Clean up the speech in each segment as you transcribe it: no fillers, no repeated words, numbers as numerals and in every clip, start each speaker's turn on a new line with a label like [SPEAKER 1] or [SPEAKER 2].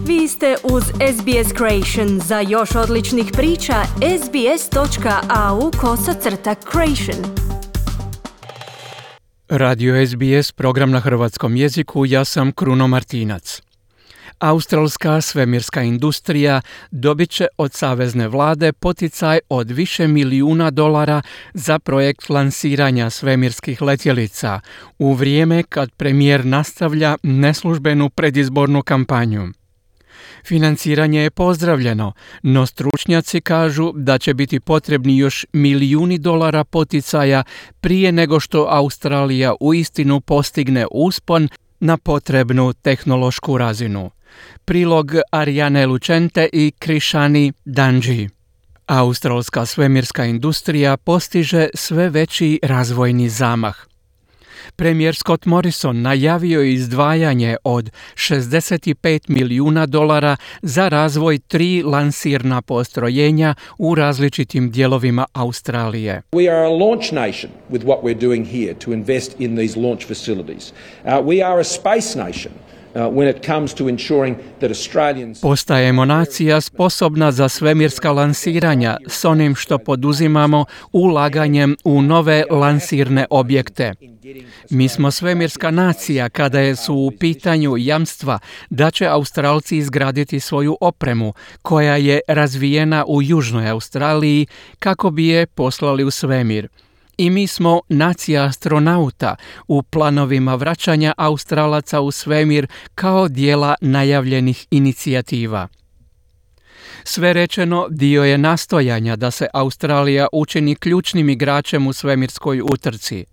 [SPEAKER 1] Vi ste uz SBS Creation. Za još odličnih priča, sbs.au/creation.
[SPEAKER 2] Radio SBS, program na hrvatskom jeziku, ja sam Kruno Martinac. Australska svemirska industrija dobit će od savezne vlade poticaj od više milijuna dolara za projekt lansiranja svemirskih letjelica u vrijeme kad premijer nastavlja neslužbenu predizbornu kampanju. Financiranje je pozdravljeno, no stručnjaci kažu da će biti potrebni još milijuni dolara poticaja prije nego što Australija uistinu postigne uspon na potrebnu tehnološku razinu. Prilog Ariane Lucente i Krishani Danji. Australska svemirska industrija postiže sve veći razvojni zamah. Premijer Scott Morrison najavio je izdvajanje od 65 milijuna dolara za razvoj 3 lansirna postrojenja u različitim dijelovima Australije.
[SPEAKER 3] We are a launch nation with what we're doing here to invest in these launch facilities. We are a space nation. When it comes to ensuring that Australians...
[SPEAKER 2] Postajemo nacija sposobna za svemirska lansiranja s onim što poduzimamo ulaganjem u nove lansirne objekte. Mi smo svemirska nacija kada su u pitanju jamstva da će Australci izgraditi svoju opremu koja je razvijena u Južnoj Australiji kako bi je poslali u svemir. I mi smo nacija astronauta u planovima vraćanja Australaca u svemir kao dijela najavljenih inicijativa. Sve rečeno dio je nastojanja da se Australija učini ključnim igračem u svemirskoj utrci.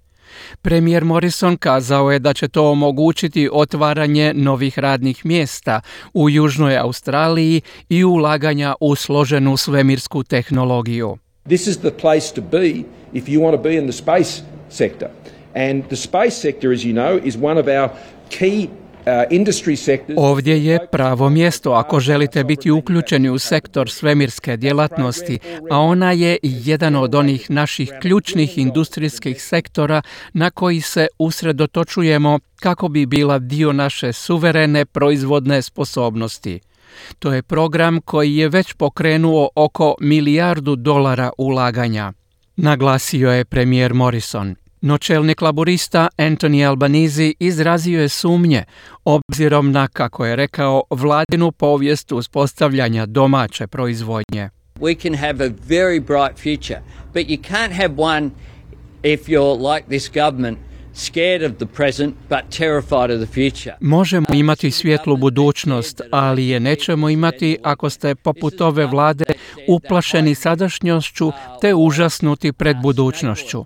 [SPEAKER 2] Premijer Morrison kazao je da će to omogućiti otvaranje novih radnih mjesta u Južnoj Australiji i ulaganja u složenu svemirsku tehnologiju.
[SPEAKER 3] This is the place to be if you want to be in the space sector. And the space sector, as you know, is one of our key industry sectors.
[SPEAKER 2] Ovdje je pravo mjesto ako želite biti uključeni u sektor svemirske djelatnosti, a ona je jedan od onih naših ključnih industrijskih sektora na koji se usredotočujemo kako bi bila dio naše suverene proizvodne sposobnosti. To je program koji je već pokrenuo oko $1 milijardu ulaganja, naglasio je premijer Morrison. No čelnik laborista Anthony Albanese izrazio je sumnje obzirom na, kako je rekao, vladinu povijest uspostavljanja domaće proizvodnje.
[SPEAKER 4] We can have a very bright future, but you can't have one if you're like this government. Scared of the present, but terrified of the future.
[SPEAKER 2] Možemo imati svijetlu budućnost, ali je nećemo imati ako ste poput ove vlade uplašeni sadašnjošću te užasnuti pred budućnošću.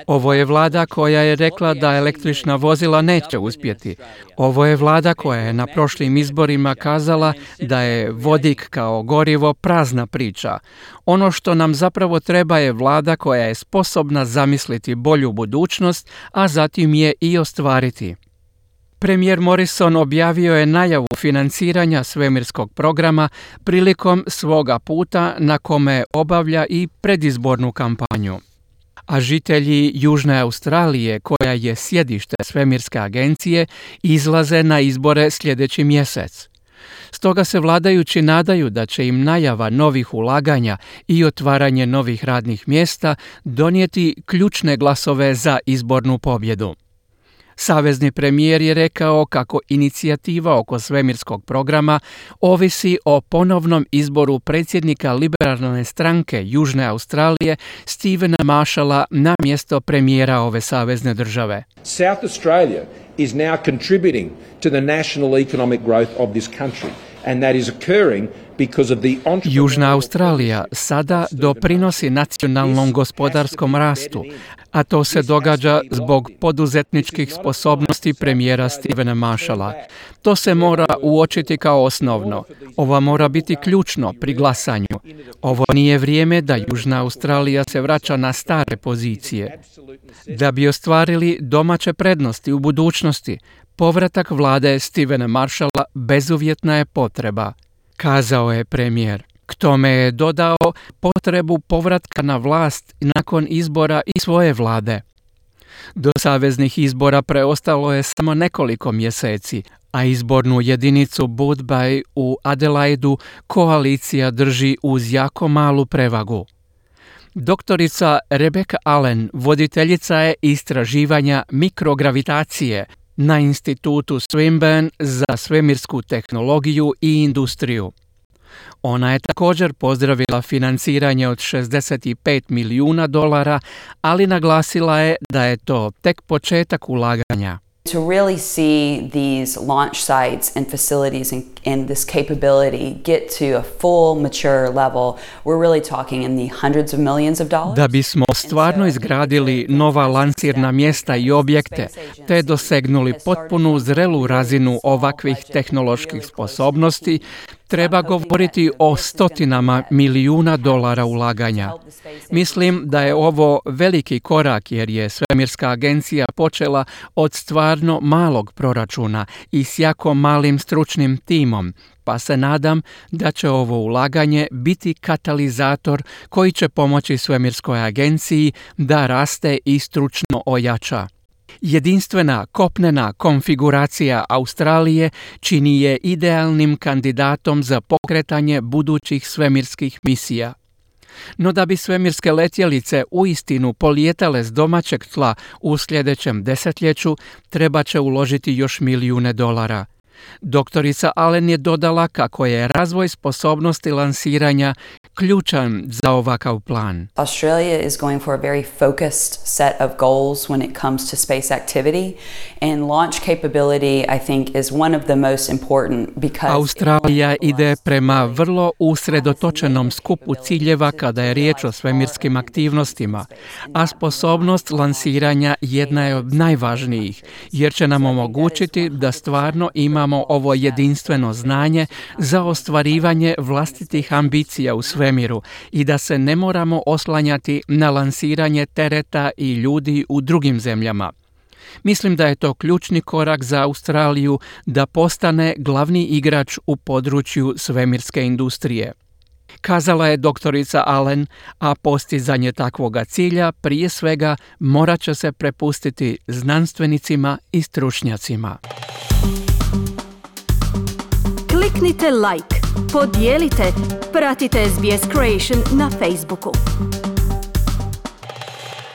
[SPEAKER 2] Ovo je vlada koja je rekla da električna vozila neće uspjeti. Ovo je vlada koja je na prošlim izborima kazala da je vodik kao gorivo prazna priča. Ono što nam zapravo treba je vlada koja je sposobna zamisliti bolju budućnost, a zatim je i ostvariti. Premijer Morrison objavio je najavu financiranja svemirskog programa prilikom svoga puta na kome obavlja i predizbornu kampanju. A žitelji Južne Australije, koja je sjedište svemirske agencije, izlaze na izbore sljedeći mjesec. Stoga se vladajući nadaju da će im najava novih ulaganja i otvaranje novih radnih mjesta donijeti ključne glasove za izbornu pobjedu. Savezni premijer je rekao kako inicijativa oko svemirskog programa ovisi o ponovnom izboru predsjednika liberalne stranke Južne Australije Stevena Marshalla na mjesto premijera ove savezne države.
[SPEAKER 3] South Australia is now contributing to the national economic growth of this country. And that is occurring because of the
[SPEAKER 2] Južna Australija sada doprinosi nacionalnom gospodarskom rastu, a to se događa zbog poduzetničkih sposobnosti premijera Stevena Marshalla. To se mora uočiti kao osnovno. Ovo mora biti ključno pri glasanju. Ovo nije vrijeme da Južna Australija se vraća na stare pozicije. Da bi ostvarili domaće prednosti u budućnosti, povratak vlade Stevena Marshalla bezuvjetna je potreba, kazao je premijer. K tome je dodao potrebu povratka na vlast nakon izbora i svoje vlade. Do saveznih izbora preostalo je samo nekoliko mjeseci, a izbornu jedinicu Boothbay u Adelaidu koalicija drži uz jako malu prevagu. Doktorica Rebecca Allen voditeljica je istraživanja mikrogravitacije na institutu Swinburne za svemirsku tehnologiju i industriju. Ona je također pozdravila financiranje od $65 milijuna, ali naglasila je da je to tek početak ulaganja.
[SPEAKER 5] To really see these launch sites and facilities and this capability get to a full mature level, we're really talking in the hundreds of millions of dollars.
[SPEAKER 2] Da bismo stvarno izgradili nova lansirna mjesta i objekte, te dosegnuli potpunu zrelu razinu ovakvih tehnoloških sposobnosti, treba govoriti o stotinama milijuna dolara ulaganja. Mislim da je ovo veliki korak jer je svemirska agencija počela od stvarno malog proračuna i s jako malim stručnim timom, pa se nadam da će ovo ulaganje biti katalizator koji će pomoći svemirskoj agenciji da raste i stručno ojača. Jedinstvena kopnena konfiguracija Australije čini je idealnim kandidatom za pokretanje budućih svemirskih misija. No da bi svemirske letjelice uistinu polijetale s domaćeg tla u sljedećem desetljeću, treba će uložiti još milijune dolara. Doktorica Allen je dodala kako je razvoj sposobnosti lansiranja ključan za ovakav plan.
[SPEAKER 5] Australia is going for a very focused set of goals when it comes to space activity, and launch capability, I think, is one of the most important because
[SPEAKER 2] Australija ide prema vrlo usredotočenom skupu ciljeva kada je riječ o svemirskim aktivnostima, a sposobnost lansiranja jedna je od najvažnijih, jer će nam omogućiti da stvarno imamo ovo jedinstveno znanje za ostvarivanje vlastitih ambicija u svemiru i da se ne moramo oslanjati na lansiranje tereta i ljudi u drugim zemljama. Mislim da je to ključni korak za Australiju da postane glavni igrač u području svemirske industrije. Kazala je doktorica Allen, a postizanje takvoga cilja prije svega morat će se prepustiti znanstvenicima i stručnjacima.
[SPEAKER 1] Kliknite like, podijelite, pratite SBS Creation na Facebooku.